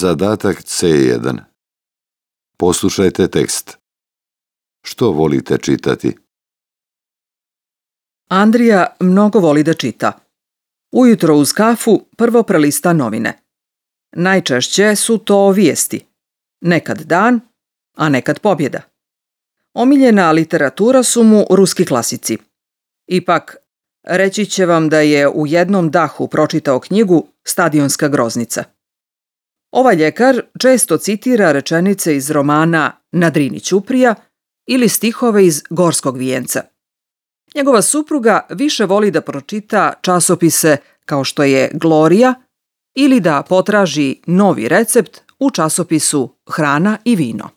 Zadatak C1. Poslušajte tekst. Što volite čitati? Andrija mnogo voli da čita. Ujutro uz kafu prvo prelista novine. Najčešće su to vijesti. Nekad dan, a nekad pobjeda. Omiljena literatura su mu ruski klasici. Ipak, reći će vam da je u jednom dahu pročitao knjigu Stadionska groznica. Ovaj ljekar često citira rečenice iz romana Na Drini ćuprija ili stihove iz Gorskog vijenca. Njegova supruga više voli da pročita časopise kao što je Glorija ili da potraži novi recept u časopisu Hrana i vino.